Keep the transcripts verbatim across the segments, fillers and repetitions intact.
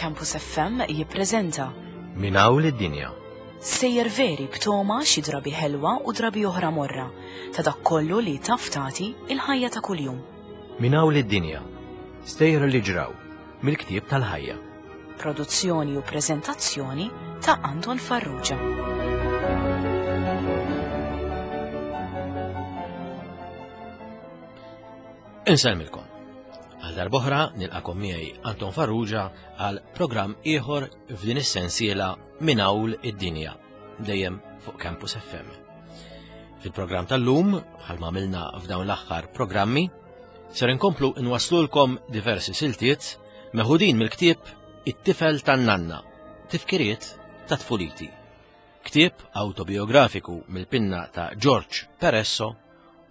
Campus F M jippreżenta Minn hawn lid-dinja. Sejjer veri b'toma xi drabi ħelwa u drabi oħra morra ta' dak kollu li taf tagħti il-ħajja ta' kuljum. Minn hawn lid-dinja. Stejjer li ġraw mill-ktieb tal-ħajja. Produzzjoni u preżentazzjoni ta' Anton Farrugia. Insellmilkom. Għal darb'oħra nilqakom miegħi Anton Farrugia għal programm ieħor f'din is-sensiela Minn hawn id-dinja, dejjem fuq Campus F M. Fil-programm tal-lum, bħalma għamilna f'dawn l-aħħar programmi, ser inkomplu nwaslulkom diversi siltiet meħudin mill-ktieb It-tifel tan-nanna, tifkiriet ta' tfuliti. Ktieb autobiografiku mill-pinna ta' George Peresso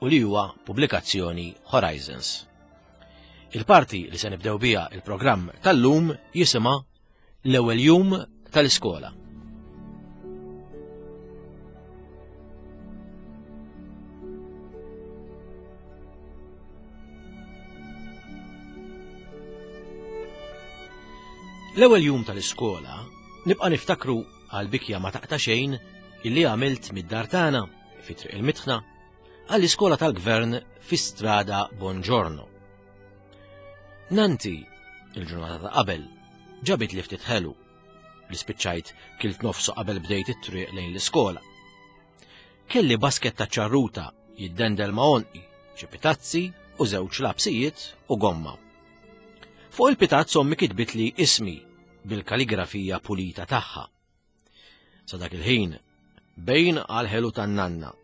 u li huwa pubblikazzjoni Horizons. Il-parti li se nibdew biha il-programm tal-lum jisimha L-ewwel jum tal-iskola. L-ewwel jum tal-iskola nibqa' niftakru għal bikja ma taqta' xejn illi għamilt mid-dar tagħna fi Triq il-Mitħna għall-iskola tal-gvern fi Strada Bongiorno. Nanti, il-ġurnata ta' qabel, ġabit li ftit ħelu li spiċċajt kilt nofsu qabel bdejt it-triq lejn l-iskola. Kelli basket ta' ċarruta jiddendel ma' għonqi, xi pitazzi u żewġ lapsijiet u gomma. Fuq il-pitazz ommi kitbitli ismi bil-kaligrafija pulita tagħha. Sa dak il-ħin, bejn għal-ħelu tan-nanna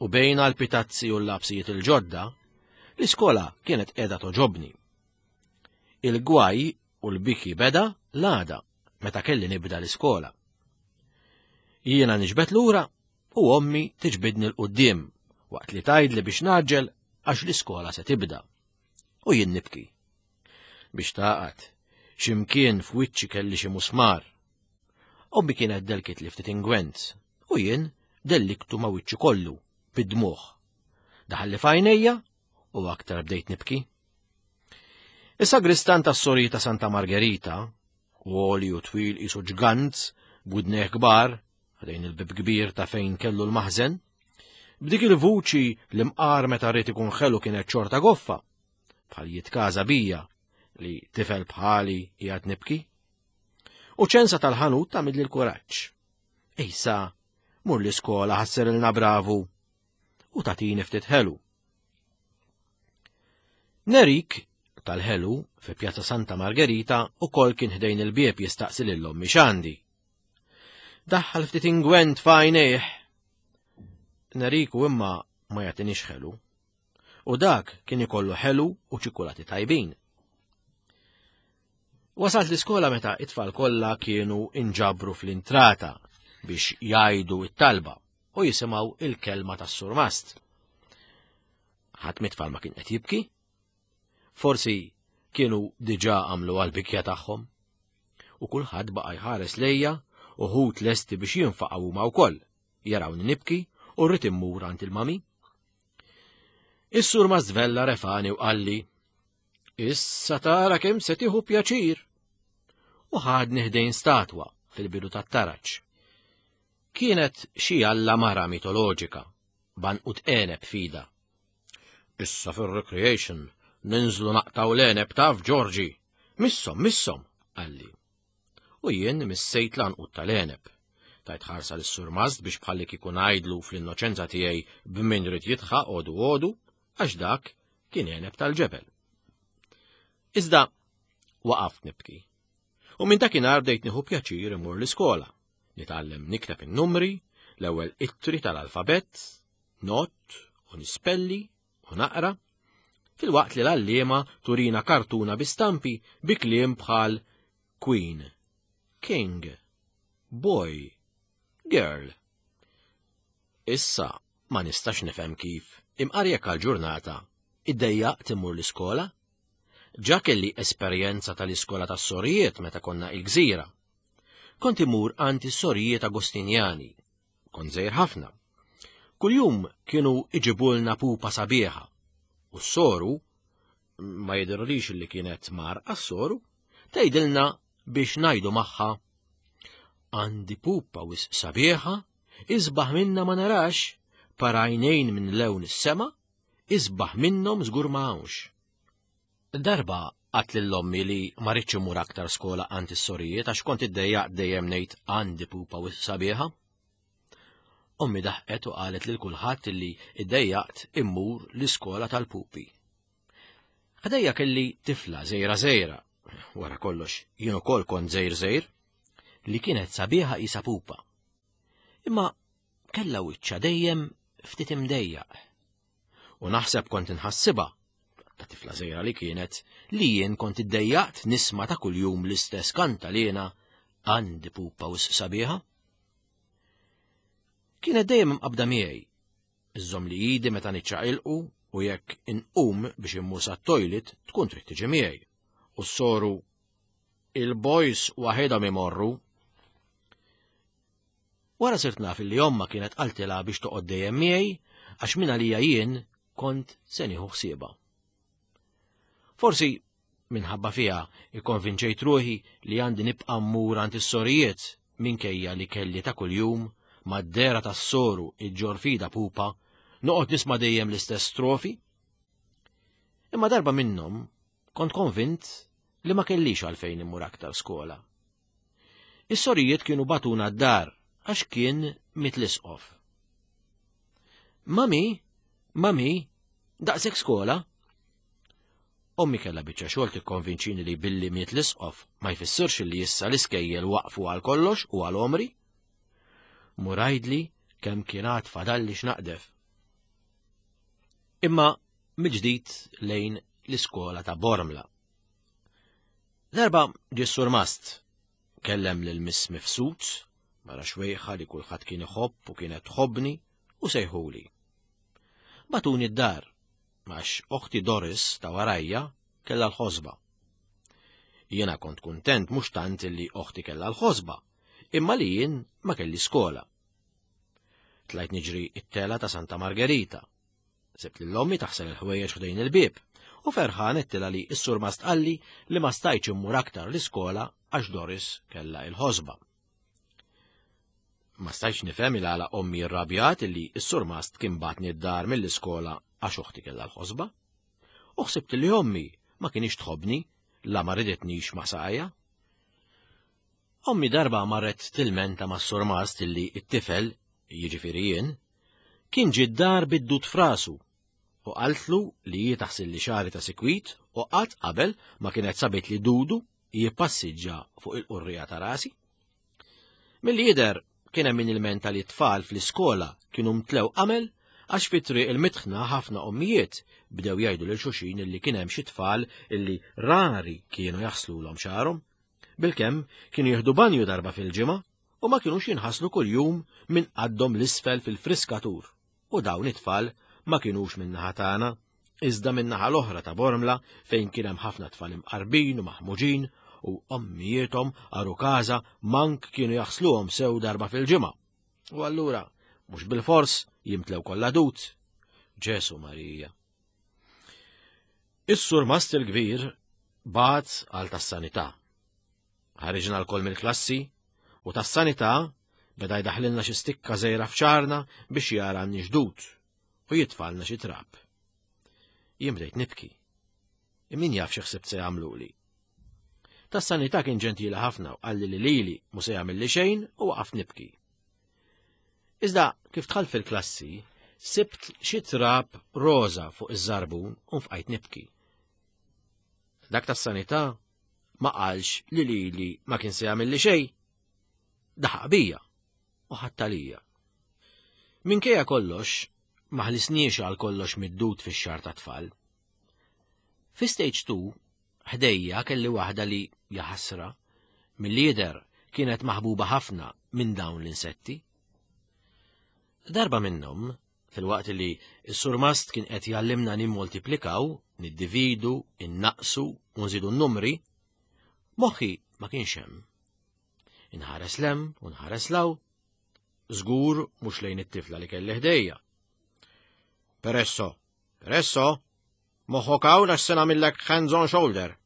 u bejn għal-pitazzi u l-lapsijiet il-ġodda, l-iskola kienet qiegħda toġobni. Il-gwaj u l-biki beda l-għada meta kelli nibda l-iskola. Jiena niġbed lura u ommi tiġbidni l-quddiem waqt li tgħidli biex naġġel għax l-iskola se tibda. U jien nibki. Biex taqgħad, x'imkien f'wiċċi kelli xi musmar. Ommi kienet delkit li ftit ingwent u jien delliktu ma' wiċċi kollu bid-dmugħ. Daħalli f'għajnejja u aktar bdejt nibki. Is-sagristan tas-sori ta' Santa Margherita, għoli u twil qisu ġgant, b'widnejh kbar, ħdejn il-bib kbir ta' fejn kellu l-maħżen, b'dik il-vuċi li mqar meta rrid ikun ħelu kienet xorta goffa, bħal jitkaża bija li tifel bħali qiegħed nibki. U ċensa tal-ħanut tagħmilli l-kuraġġ. Ejsa, mur l-iskola ħasserilna bravu u tagħtini ftit ħelu. Nerik tal-ħelu fi Pjazza Santa Margherita u kol kien ħdejn il-bieb jistaqsi lil ommi x'għandi. Daħħal ftit ingwent f'għajnejh. Neriku imma ma jagħtinix ħelu. U dak kien ikollu ħelu u ċikulati tajbin. Wasalt l-iskola meta it-tfal kollha kienu inġabru fl-intrata biex jgħidu it-talba u jisimgħu il-kelma tas-surmast. Ħadd mit-tfal ma kien qed jibki. Forsi kienu diġà għamlu għall-bikja tagħhom. U kulħadd baqa' jħares lejja u ħut lesti biex jinfaqgħu huma wkoll, jarawni nibki u rrid immur għand il-mami. Is-sur Mażvella refani u qalli, Issa tara kemm se tieħu pjaċir. U ħadni ħdejn statwa fil-bidu tat-taraġ. Kienet xi alla mara mitoloġika, banqut għeneb fida. Issa fir-recreation ninżlu naqtaw l-għeneb taf Ġorġi. Missom, missom, qalli. U jien missejt l-anqut tal-għeneb. Tajt ħarsa lis-sur Mast biex bħalli kieku ngħidlu fl-innoċenza tiegħi b'min rid jitħaq għodu għodu, għax dak kien għeneb tal-ġebel. Iżda waqaft nibki. U minn dakinhar bdejt nieħu pjaċir imur l-iskola. Nitgħallem nikteb in-numri, l-ewwel ittri tal-alfabett, not u nispelli u naqra, filwaqt li l-għalliema turina kartuna bi stampi bi kliem bħal Queen, King, Boy, Girl. Issa ma nistax nifhem kif imqar jekk għall-ġurnata iddejjaqt immur l-iskola. Ġa kelli esperjenza tal-iskola tas-sorijiet meta konna il-gżira. Kont imur għand is-sorijiet Agostinjani. Kont żgħir ħafna. Kuljum kienu iġibulna pupa sabiħa. U s-soru, ma jidhirlix li kienet mar għas-soru, tgħidilna biex ngħidu magħha: "Għandi pupa wisq sabiħa, isbaħ minna ma narax, par għajnejn minn lewn is-sema, isbaħ minnhom żgur ma hawnx." Darba għedt lil ommi li ma ridtx immur aktar skola għand is-sorijiet għax kont iddejjaq dejjem ngħid "għandi pupa wisq sabiħa". Ommi daħqet u qalet lil kulħadd li iddejjaqt immur l-iskola tal-pupi. Ħdejja kelli tifla żgħira żgħira, wara kollox jien ukoll kont żgħir żgħir, li kienet sabiħa qisha pupa. Imma kellha wiċċha dejjem ftit imdejjaq. U naħseb kont inħassibha, ta' tifla żgħira li kienet, li jien kont iddejjaqt nisma' ta' kuljum l-istess kantalena "għandi pupa wisq sabiħa". Kienet dejjem imqabda miegħi. Iżżommli idi meta niċċaqilqu u jekk inqum biex immur sat-toilet tkun trid tiġi miegħi. U s-soru "il-boys waħedhom imorru". Wara sirt naf li omma kienet qaltilha biex toqgħod dejjem miegħi għax minn għalija jien kont se nieħu ħsiebha. Forsi minħabba fiha ikkonvinċejt ruħi li għandi nibqa' mmur għand is-sorijiet minkejja li kelli ta' kuljum mad-dehra tas-soru iġġorr f'idha pupa noqgħod nisma' dejjem l-istess strofi. Imma darba minnhom kont konvint li ma kellix għalfejn immur aktar skola. Is-sorijiet kienu bagħtuna d-dar għax kien miet l-isqof. "Mami, mami, daqshekk skola?" Ommi kellha biċċa xogħol tikkonvinċini li billi miet l-isqof ma jfissirx li issa l-iskejjel waqfu għal kollox u għal għomri. Mur għidli kemm kien għad fadalli x'naqdef. Imma mill-ġdid lejn l-iskola ta' Bormla. Darba ġie s-surmast, kellem lil Miss Mifsud, mara xwejħa li kulħadd kien iħobb u kienet tħobbni, u sejħuli. Bagħtuni d-dar, għax oħti Doris ta' warajja kellha l-ħosba. Jiena kont kuntent mhux tant li oħti kellha l-ħosba, imma li jien ma kelli skola. Tlajt niġri it-tela ta' Santa Margherita. Sibt lil ommi taħsel il-ħwejjeġ ħdejn il-bieb u ferħan għedtilha li s-surmast qalli li ma stajtx immur aktar l-iskola għax Doris kellha il-ħosba. Ma stajtx nifhem il għala ommi rrabjat li s-surmast kien bagħatni d-dar mill-iskola għax oħti kellha l-ħosba. U ħsibt li ommi ma kinitx tħobbni la ma ridetnix ma' saqajja. Ommi darba marret tilmenta mas-surmast illi it-tifel, jiġifieri jien, kien ġie d-dar bid-dud f'rasu u qaltlu li hi taħsilli xagħri ta' sikwit u qatt qabel ma kienet sabit li dudu jippassiġġa fuq il-qurrija ta' rasi. Milli jidher kien hemm min ilmenta li t-tfal fl-iskola kienu mtlew qamel għax fi triq il-mitħna ħafna ommijiet bdew jgħidu lil xulxin illi kien hemm xi tfal illi rari kienu jaħslulhom xagħarhom. Bilkemm kienu jieħdu banju darba fil-ġimgħa u ma kinux jinħaslu kuljum minn qaddhom 'l isfel fil-friskatur. U dawn it-tfal ma kinux minn naħa tagħna, iżda minn naħa l-oħra ta' Bormla fejn kien hemm ħafna tfal imqarbin u maħmuġin u ommijiethom għarukaża mank kienu jaħsluhom sew darba fil-ġimgħa. U allura mhux bilfors jimtlew kollha dud. Ġesu Marija. Is-surmast il-kbir bagħat għal tas-sanità. Ħariġna lkoll mill-klassi u tas-sanità beda jdaħlilna xi stikka żgħira f'xagħarna biex jara għandniex dud u jitfagħlna xi trab. Jien bdejt nibki. Min jaf xi ħsibt se jagħmluli. Tas-sanità kien ġentili ħafna u qalli li lili mhu se jagħmilli xejn u waqaft nibki. Iżda kif dħalt fil-klassi, sibt xi trab roża fuq iż-żarbun u nfqajt nibki. Dak tas-sanità ma qalx li lili ma kien se jagħmilli xejn. Daħaq bija u ħadd għalija. Minkejja kollox, ma ħlisniex għal kollox mid-dud fix-xagħar tat-tfal. Fi stage two, ħdejja kelli waħda li, jaħasra, mill-lider kienet maħbuba ħafna minn dawn l-insetti. Darba minnhom, filwaqt li s-surmast kien qed jgħallimna nimmultiplikaw, niddividu, innaqsu u nżidu n-numri, moħħi ma kienx hemm. Inħares 'l hemm u nħares 'l hawn, żgur mhux lejn it-tifla li kelli ħdejja. "Peresso, Peresso, moħħok hawn għax se nagħmillek hands on shoulder."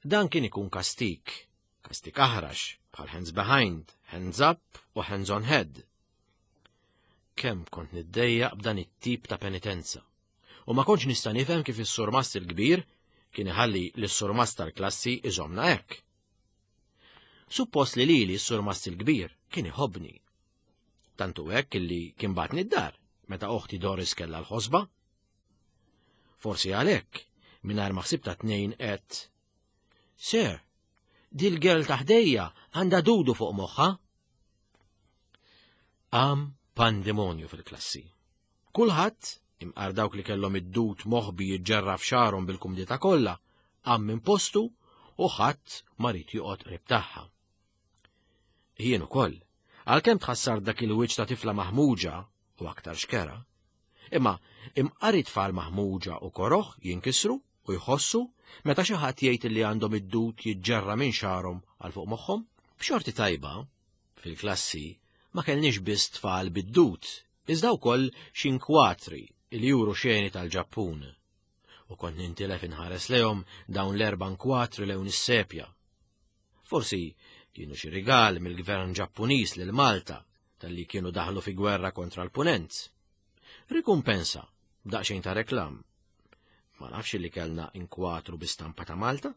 Dan kien ikun kastik, kastik aħrax, bħal hands behind, hands up u hands on head. Kemm kont niddejjaq b'dan it-tip ta' penitenza. U ma kontx nista' nifhem kif is-surmast il-kbir kien iħalli lis-surmast tal-klassi iżomna hekk. Suppost li lili s-surmast il-kbir kien iħobbni. Tantu hekk illi kien bagħatni d-dar meta oħti Doris kellha l-ħosba. Forsi għalhekk, mingħajr ma ħsibtha tnejn għedt: "Sir, dil-girl ta' ħdejja għandha dudu fuq moħħha." Qam pandemonju fil-klassi. Kulħadd, imqar dawk li kellhom id-dud moħbi jiġġerra f'xagħarhom bil-kumdità kollha, qam minn postu u ħadd ma ried joqgħod qrib tagħha. Jien ukoll, għalkemm tħassar dak il-wiċċ ta' tifla maħmuġa u aktar xkera, imma imqar it-tfal maħmuġa u koroħ jinkisru u jħossu meta xi ħadd jgħid li għandhom id-dud jiġġerra minn xagħarhom għal fuq moħħhom. B'xorti tajba, fil-klassi ma kellniex biss tfal bid-dud, iżda wkoll xi inkwatri li juru xeni tal-Ġappun. U kont nintilef inħares lejhom dawn l-erba' inkwatri lewn is-sepja. Forsi kienu xi rigal mill-gvern Ġappuniż lil Malta talli kienu daħlu fi gwerra kontra l-Punent. Rikumpensa b'daqsxejn ta' reklam. Ma nafx li kellna inkwatru bi stampa ta' Malta.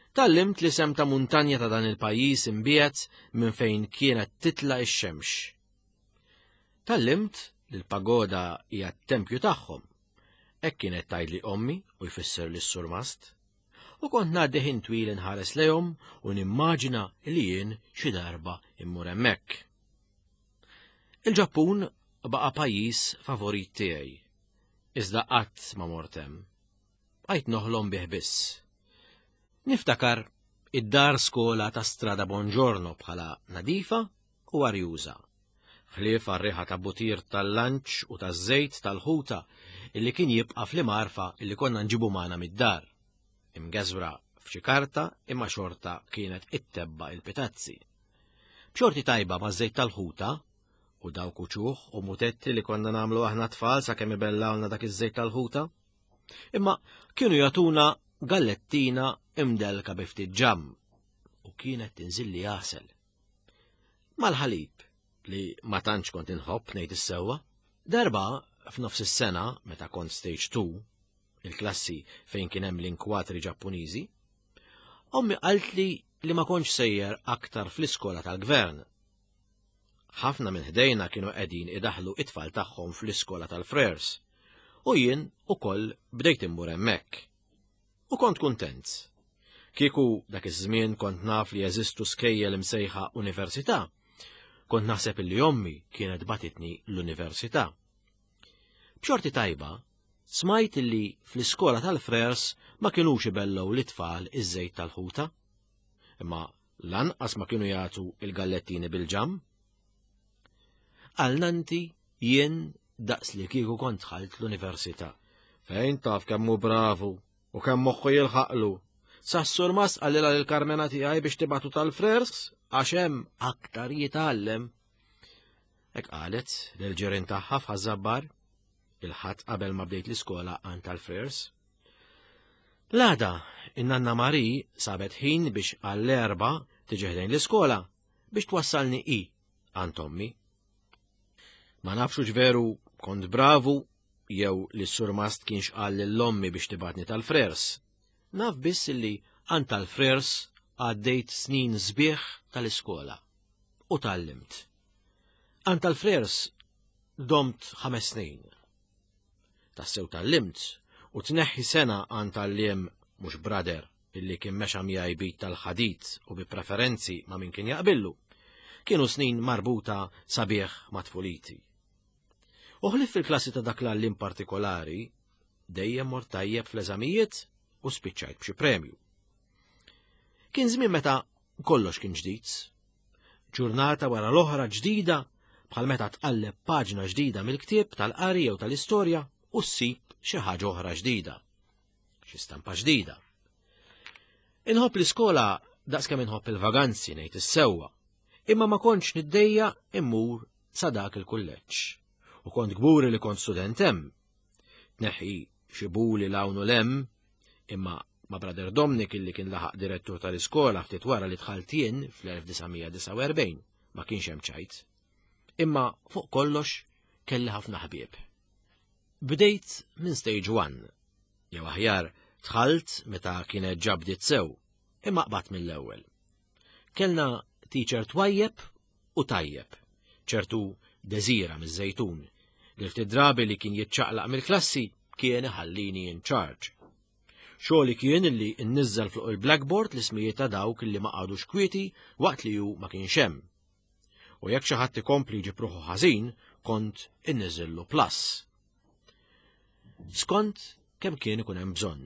Tgħallimt l-isem ta' muntanja ta' dan il-pajjiż imbiegħed minn fejn kienet titla' ix-xemx. Tgħallimt li l-pagoda hija t-tempju tagħhom. Hekk kienet tgħidli ommi u jfisser lis-surmast. U kont ngħaddi ħin twil inħares lejhom u nimmaġina li jien xi darba immur hemmhekk. Il-Ġappun baqa' pajjiż favorit tiegħi. Iżda qatt ma mort hemm. Bqajt noħlom bih biss. Niftakar id-dar skola ta' Strada Bongiorno bħala nadifa u arjuża. Ħlief għar-riħa ta' butir tal-lanċ u taż-żejt tal-ħuta illi kien jibqa' fl-imgħarfa illi konna nġibu magħna mid-dar. Imgeżwra f'xi karta imma xorta kienet ittebba' il-pitazzi. B'xorti tajba maż-żejt tal-ħuta u dawk uċuħ u mutetti li konna nagħmlu aħna tfal sakemm ibellgħulna dak iż-żejt tal-ħuta. Imma kienu jagħtuna gallettina imdelka bi ftit ġamm u kienet tinżilli għasel. Mal-ħalib li ma tantx kont inħobb, ngħid is-sewwa, darba f'nofs is-sena meta kont stage two, il-klassi fejn kien hemm l-inkwatri Ġappuniżi, ommi qaltli li ma kontx sejjer aktar fl-iskola tal-gvern. Ħafna minn ħdejna kienu qegħdin idaħlu it-tfal tagħhom fl-iskola tal-Frers, u jien ukoll bdejt immur hemmhekk. U kont kuntent. Kieku dak iż-żmien kont naf li jeżistu skejjel imsejħa università, kont naħseb li ommi kienet bagħtitni l-università. B'xorti tajba, smajt li fl-iskola tal-Frers ma kinux ibellgħu lit-tfal iż-żejt tal-ħuta, imma lanqas ma kienu jagħtu il-gallettini bil-ġamm. Għal nannti jien daqs li kieku kont dħalt l-università. Fejn taf kemm hu bravu u kemm moħħu jilħaqlu. Sas-surmast qalilha lil Karmena tiegħi biex tibagħtu tal-Frers għax hemm aktar jitgħallem. Hekk qalet lil ġirien tagħha f'Ħaż-Żabbar il-Ħadd qabel ma bdejt l-iskola għand tal-Frers. L-għada, in-nanna Mari sabet ħin biex għall-erba tiġi ħdejn l-iskola biex twassalni i għand ommi. Ma nafx veru kont bravu jew li s-surmast kienx qal lil ommi biex tibgħatni tal-Frers. Naf biss li għand tal-Frers għaddejt snin sbieħ tal-iskola u tgħallimt. Għand tal-Frers domt ħames snin. Tassew tgħallimt u tneħħi sena għand għalliem mhux brother illi kien mexa miegħi b'id tal-ħadid u bi preferenzi ma' min kien jaqbillu. Kienu snin marbuta sabiħ ma' tfuliti. U ħlief fil-klassi ta' dak l-għalliem partikolari, dejjem mort tajjeb fl-eżamijiet u spiċċajt b'xi premju. Kien żmien meta kollox kien ġdid. Ġurnata wara l-oħra ġdida, bħal meta tqalleb paġna ġdida mill-ktieb tal-qari jew tal-istorja u ssib xi ħaġa oħra ġdida, xi stampa ġdida. Inħobb l-iskola daqs kemm inħobb il-vaganzi, ngħid is-sewwa, imma ma kontx niddejjaq immur sa dak il-kulleġġ. U kont kburi li kont student hemm. Tneħħi xi buli 'l hawn u 'l hemm, imma Ma' Brother Dominic illi kien laħaq direttur tal-iskola ftit wara li dħalt jien fl-elf disa' mija disgħa u erbgħin, ma kienx hemm ċajt. Imma fuq kollox kelli ħafna ħbieb. Bdejt minn stage one, jew aħjar dħalt meta kienet ġa bdiet sew, imma qbadt mill-ewwel. Kellna teacher twajjeb u tajjeb, ċertu Desira miż-Żejtun, li ftit drabi li kien jiċċaqlaq mill-klassi kien iħallini in charge. Xogħli kien li nniżżel fuq il-blackboard l-ismijiet ta' dawk li ma qagħdux kwieti waqt li hu ma kienx hemm. U jekk xi ħadd ikompli jġib ruħu ħażin, kont inniżillu plus. Skont kemm kien ikun hemm bżonn.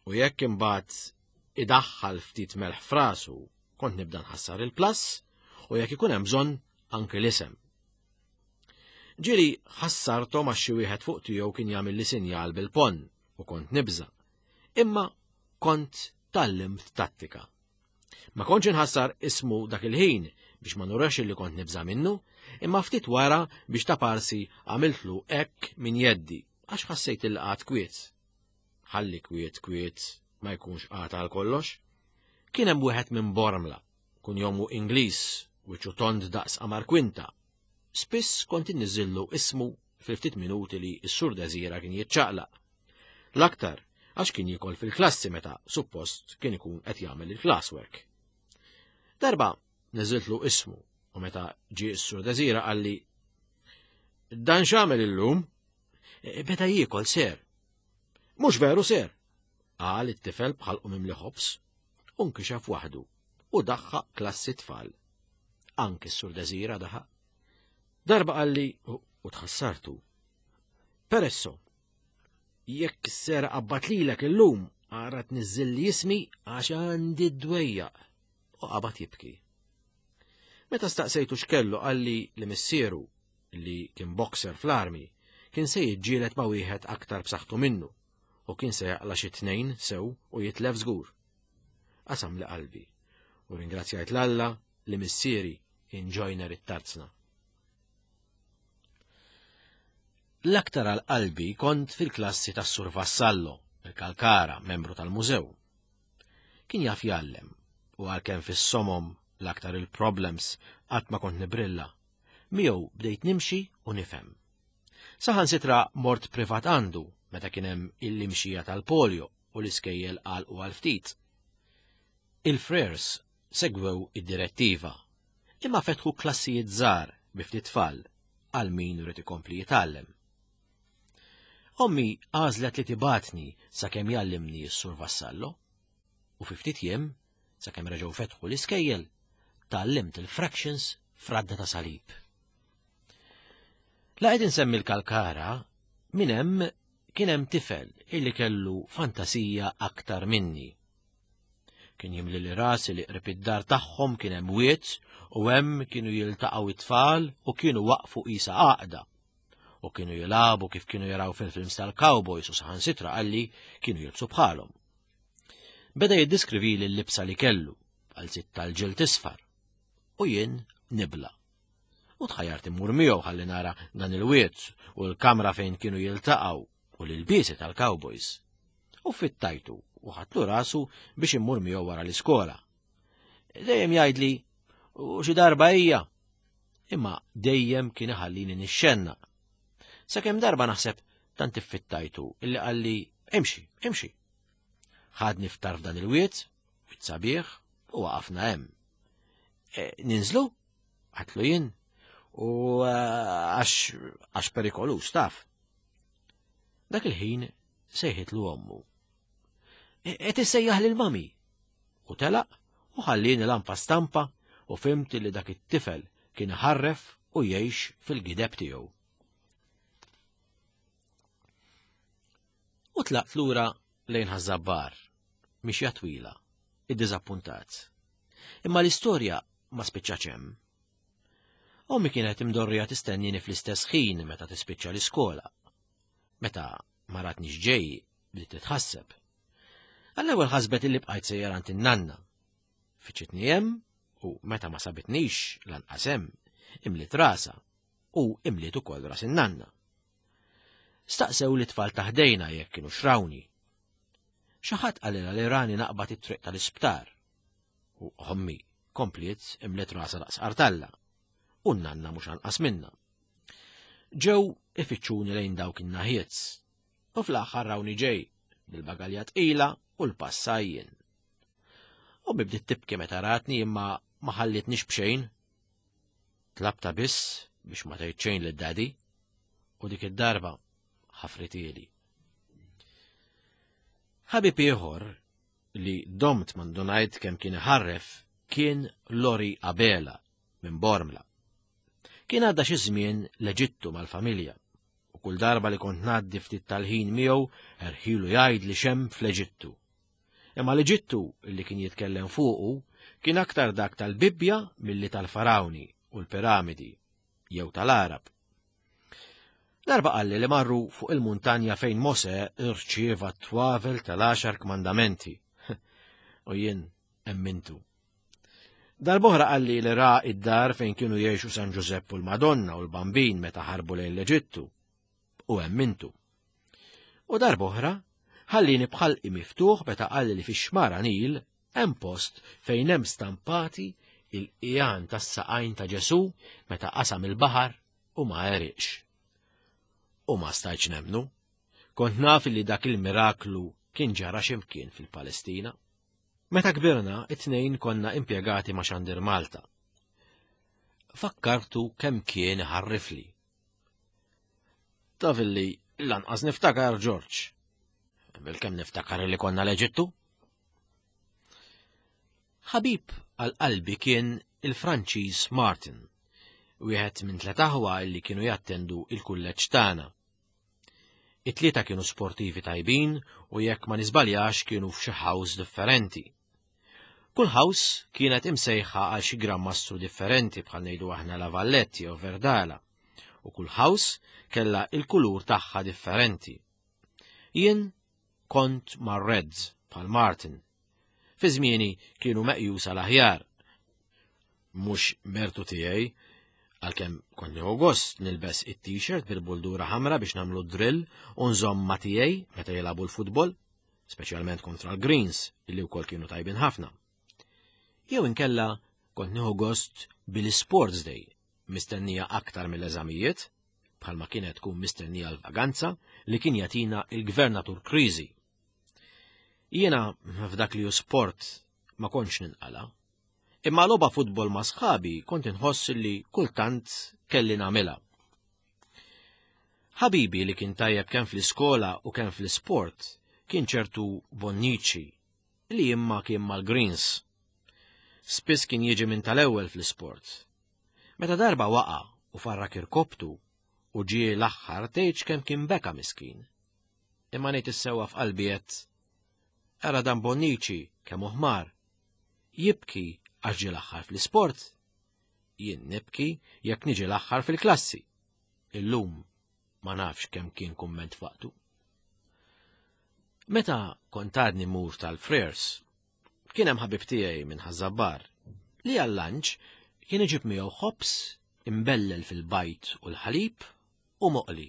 U jekk imbagħad idaħħal ftit melħ frasu, kont nibda nħassar il-plus, u jekk ikun hemm bżonn anke l-isem. Ġieli ħassarthom għax xi wieħed fuq tiegħu kien jagħmel li sinjal bil-pon u kont nibża'. Imma kont tgħallimt tattika. Ma kontx inħassar ismu dak il-ħin biex ma nurax li kont nibża' minnu, imma ftit wara biex ta' parsi għamiltlu hekk minn jeddi għax ħassejt il qagħad kwiet. Ħalli kwiet kwiet ma jkunx qagħad għal kollox. Kien hemm wieħed minn Bormla, kun jomu Ingliż, wiċċu tond daqs qamar kwinta. Spiss kont inniżillu ismu fil-ftit minuti li s-Sur Desira kien jiċċaqlaq. L-aktar għax kien jiekol fil-klassi meta suppost kien ikun qed jagħmel il-classwork. Darba niżiltlu ismu u meta ġie s-Sur Desira qalli, Dan x'għamel illum? E, beda jiekol ser. Mhux veru ser, qal it-tifel bħalqu mimli ħobż, u nkixef waħdu u daħħaq klassi tfal. Anki s-Sur Desira daħaq. Darba qalli u tħassartu. Peresso, jekk s-sera qabbat lilek illum, ara tniżżilli ismi għax għandi d-dwejjaq. U qabad jibki. Meta staqsejtu x'kellu qalli li missieru, li kien boxer fl-armi, kien se jiġġieled ma' wieħed aktar b'saħħtu minnu u kien se jaqla' xi tnejn sew u jitlef żgur. Qasam li qalbi u ringrazzjajt l-Alla li missieri kien joiner it-tarzna. L-aktar għal qalbi kont fil-klassi tas-Sur Vassallo, il-Kalkara, membru tal-mużew. Kien jaf jgħallem u għalkemm fis-somom l-aktar il-problems qatt ma kont nibrilla, miegħu bdejt nimxi u nifhem. Saħansitra mort privat għandu meta kien hemm il-imxija tal-polio u l-iskejjel għalqu għal ftit. Il-frers segwew id-direttiva, imma fetħu klassijiet żgħar bi ftit tfal għal min irid ikompli jitgħallem. Ommi għażlet li tibatni sakemm jgħallimni s-Sur Vassallo, u fi ftit jiem, sakemm reġgħu fetħu l-iskejjel, tgħallimt il-fractions fradda ta' salib. La qed insemmi l-Kalkara, minn hemm kien hemm tifel illi kellu fantasija aktar minni. Kien jimli li rasi li qrib id-dar tagħhom kien hemm wied u hemm kienu jiltaqgħu it-tfal u kienu waqfu qisha għaqda. U kienu jilagħbu kif kienu jaraw fil-films tal-cowboys u saħansitra qalli kienu jilbsu bħalhom. Beda jiddiskrivili l-libsa li kellu, għal sitt tal-ġild isfar, u jien nibla. U tħajjart immur miegħu ħalli nara dan il-wied u l-kamra fejn kienu jiltaqgħu u l-ilbiesi tal-cowboys. U fittajtu u ħadtlu rasu biex immur miegħu wara l-iskola. Dejjem jgħidli, u xi darba hija. Imma dejjem kien iħallini nixxenna. Sakemm darba naħseb tant iffittajtu illi qalli imxi, imxi. Ħadni ftar f'dan il-wied, wied sabiħ, u waqafna hemm. E, ninżlu? Għatlu jien. U, e, għax, għax perikolus, taf. Dak il-ħin sejħitlu ommu. E, qed issejjaħ lil mami. U telaq u ħallini lampa stampa u fhimt li dak it-tifel kien ħarref u jgħix fil-gideb tiegħu. U tlaqt lura lejn Ħaż-Żabbar, mixja twila, iddiżappuntat. Imma l-istorja ma spiċċax hemm. Ommi kienet imdorrija tistennini fl-istess ħin meta tispiċċa l-iskola. Meta ma ratnix ġej, bdiet titħasseb. Għall-ewwel ħasbet illi bqajt sejjer għand in-nanna. Fiċċitni hemm u meta ma sabitnix lanqas hemm, imliet rasha u imliet ukoll ras in-nanna. Staqsew li tfal taħdejna jekk kienu xrawni. Xi ħadd qalilha li rani naqbad it-triq tal-isptar. U ommi kompliet imlet rasha daqs qartalla. U n-nanna mhux anqas minna. Ġew ifittxuni lejn dawk in-naħiet. U fl-aħħar rawni ġej bil-bagalja tqila u l-passajjin. U bdiet tibki meta ratni imma ma ħallitnix b'xejn. Tlabtha biss biex ma tgħid xejn lid-daddy u dik id-darba ħafritieli. Ħabib ieħor li domt ma ndunajt kemm kien iħarref kien Lori Abela minn Bormla. Kien għadda xi żmien l-Eġittu mal-familja u kull darba li kont ngħaddi ftit tal-ħin miegħu erħilu jgħid li x'hemm fl-Eġittu. Imma l-Eġittu li kien jitkellem fuqu kien aktar dak tal-Bibbja milli tal-Farawni u l-Piramidi jew tal-Arab. Darba qalli li marru fuq il-muntanja fejn Mose irċieva t-twavel tal-għaxar kmandamenti. U jien emmintu. Darb'oħra qalli li ra id-dar fejn kienu jgħixu San Ġużepp u l-Madonna u l-Bambin meta ħarbu lejn l-Eġittu. U emmintu. U darb'oħra ħallini b'ħalqi miftuħ meta qalli li fix-xmara Nil hemm post fejn hemm stampati il-qigħan tas-saqajn ta' Ġesu meta qasam il-baħar u ma għeriqx. U ma stajtx nemmnu. Kont naf li dak il-miraklu kien ġara x'imkien fil-Palestina. Meta kbirna, it-tnejn konna impjegati ma' Xandir Malta. Fakkartu kemm kien ħarrifli. Taf illi lanqas niftakar George. Bil-kemm niftakar li konna l-Eġittu? Ħabib għal qalbi kien il-Franċiż Martin, wieħed minn tliet aħwa li kienu jattendu il-kulleġġ tagħna. It-tlieta kienu sportivi tajbin u jekk ma niżbaljax kienu f'xi house differenti. Kull house kienet imsejħa għal xi gran mastru differenti bħal ngħidu aħna La Valletti jew Verdala, u kull house kellha il-kulur tagħha differenti. Jien kont mar-Reds bħal Martin. Fi żmieni kienu meqjusa l-aħjar. Mhux mertu tiegħi, għalkemm kont nieħu gost nilbes it-t-shirt bil-buldura ħamra biex nagħmlu drill u nżomm ma' tiegħi meta jilagħbu l-futbol, speċjalment kontra l-Greens illi wkoll kienu tajbin ħafna. Jew inkella kont nieħu gost bil-Sports Day, mistennija aktar mill-eżamijiet, bħalma kienet tkun mistennija l-vaganza li kien jagħtina il-gvernatur Kriżi. Jiena f'dak li hu sport ma kontx ninqala. Imma logħba futbol ma' sħabi kont inħoss li kultant kelli nagħmilha. Ħabibi li kien tajjeb kemm fl-iskola u kemm fl-isport kien ċertu Bonnici li imma kien mal-Greens. Spiss kien jiġi minn tal-ewwel fl-isport. Meta darba waqa' u farrak irkoptu u ġie l-aħħar tgħidx kemm kien beka miskin. Imma ngħid is-sewwa f'qalbi qed ara dan Bonnici kemm hu ħmar. Jibki għax ġie l-aħħar fl-isport. Jien nibki jekk niġi l-aħħar fil-klassi. Illum ma nafx kemm kien kumment f'waqtu. Meta kont għadni mur tal-Frers, kien hemm ħabib tiegħi minn Ħaż-Żabbar li għal-lunch kien iġib miegħu ħobż imbellel fil-bajd u l-ħalib u moqli.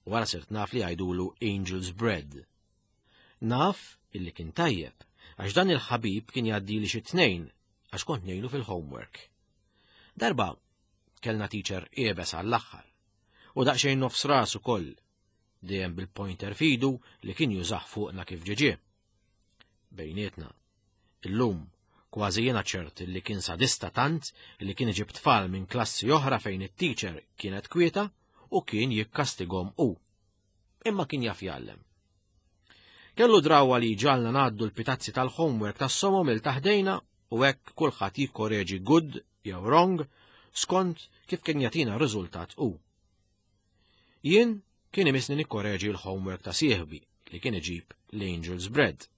Wara sirt naf li jgħidulu Angel's Bread. Naf illi kien tajjeb, għax dan il-ħabib kien jgħaddili xi tnejn għax kont ngħinu fil-homework. Darba kellna teacher iebes għall-aħħar u daqsxejn nofs ras ukoll, dejjem bil-pointer f'idu li kien jużah fuqna kif ġie. Bejnietna, illum kważi jiena ċert li kien sadista tant li kien iġib tfal minn klassi oħra fejn it-teacher kienet kwieta u kien jikkastigahom hu. Imma kien jaf jgħallem. Kellu drawa li ġagħalna ngħaddu l-pitazzi tal-homework tas-somom 'il taħt idejna u hekk kulħadd jikkoreġi good jew wrong skont kif kien jagħtina riżultat hu. Jien kien imisni nikkoreġi l-homework ta' sieħbi li kien iġib l-Angel's Bread.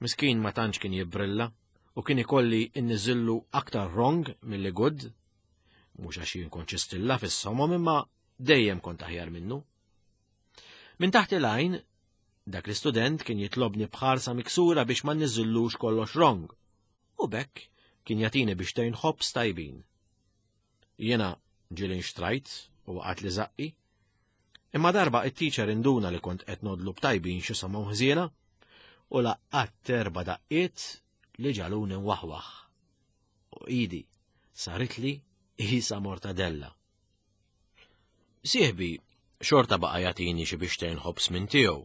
Miskin ma tantx kien jibbrilla u kien ikolli inniżillu aktar wrong milli good, mhux għax jien kont stilla fis-somom imma dejjem kont aħjar minnu. Minn taħt il-għajn, dak l-istudent kien jitlobni bħarsa miksura biex ma nniżillux kollox wrong, u b'hekk kien jagħtini biċċtejn ħobż tajbin. Jiena ġieli nxtrajt u waqgħatli żaqqi, Imma darba it-teacher induna li kont qed nodlu b'tajbin xi somgħu ħżiena u laqqat erba' daqqiet li ġaluni nwaħwaħ. U idi saritli qisha mortadella. Sieħbi xorta baqa' jagħtini xi biex ħobż minn tiegħu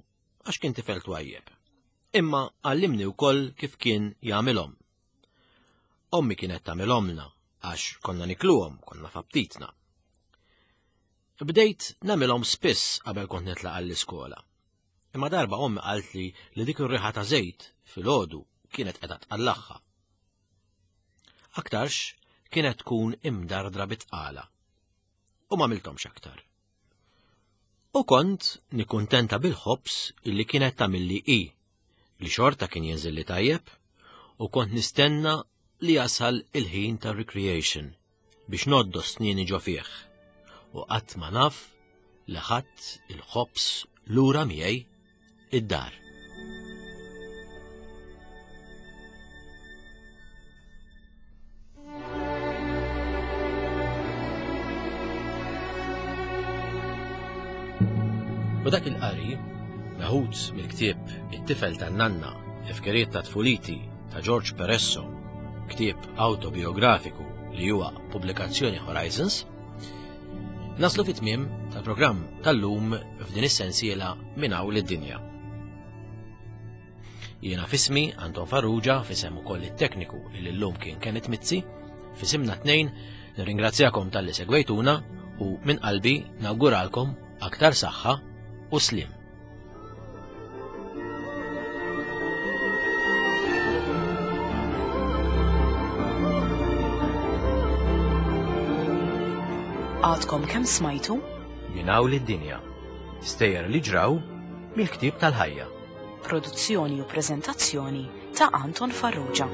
għax kien tifel twajjeb. Imma għallimni wkoll kif kien jagħmilhom. Ommi kienet tagħmilhomlna għax konna nikluhom, konna f'aptitna. Bdejt nagħmilhom spiss qabel kont nitlaq għall-iskola. Imma darba ommi qaltli li dik ir-riħa ta' żejt filgħodu kienet qiegħda tqallagħha. Aktarx kienet tkun imdardra bit-tqala. U ma għamilthomx aktar. U kont nikkuntenta bil-ħobż illi kienet tagħmilli hi, li xorta kien jinżilli tajjeb, u kont nistenna li jasal il-ħin ta' recreation biex noddos snieni ġo fih. U qatt ma naf li ħadt il-ħobż lura miegħi id-dar. U dak il-qari, meħud mill-ktieb It-tifel tan-nanna, Tifkiriet ta' tfuliti ta' George Peresso, ktieb autobiografiku li huwa pubblikazzjoni Horizons, naslu fit-tmiem tal-programm tal-lum f'din is-sensiela minn hawn lid-dinja. Jiena f'ismi Anton Farrugia, f'isem ukoll it-tekniku li llum kien Kenneth Mizzi, f'isimna tnejn nirringrazzjakom talli segwejtuna u minn qalbi nawguralkom aktar saħħa u sliem. Għadkom kemm smajtu? Minn hawn lid-dinja. Stejjer li ġraw mill-ktieb tal-ħajja. Produzzjoni u preżentazzjoni ta' Anton Farrugia.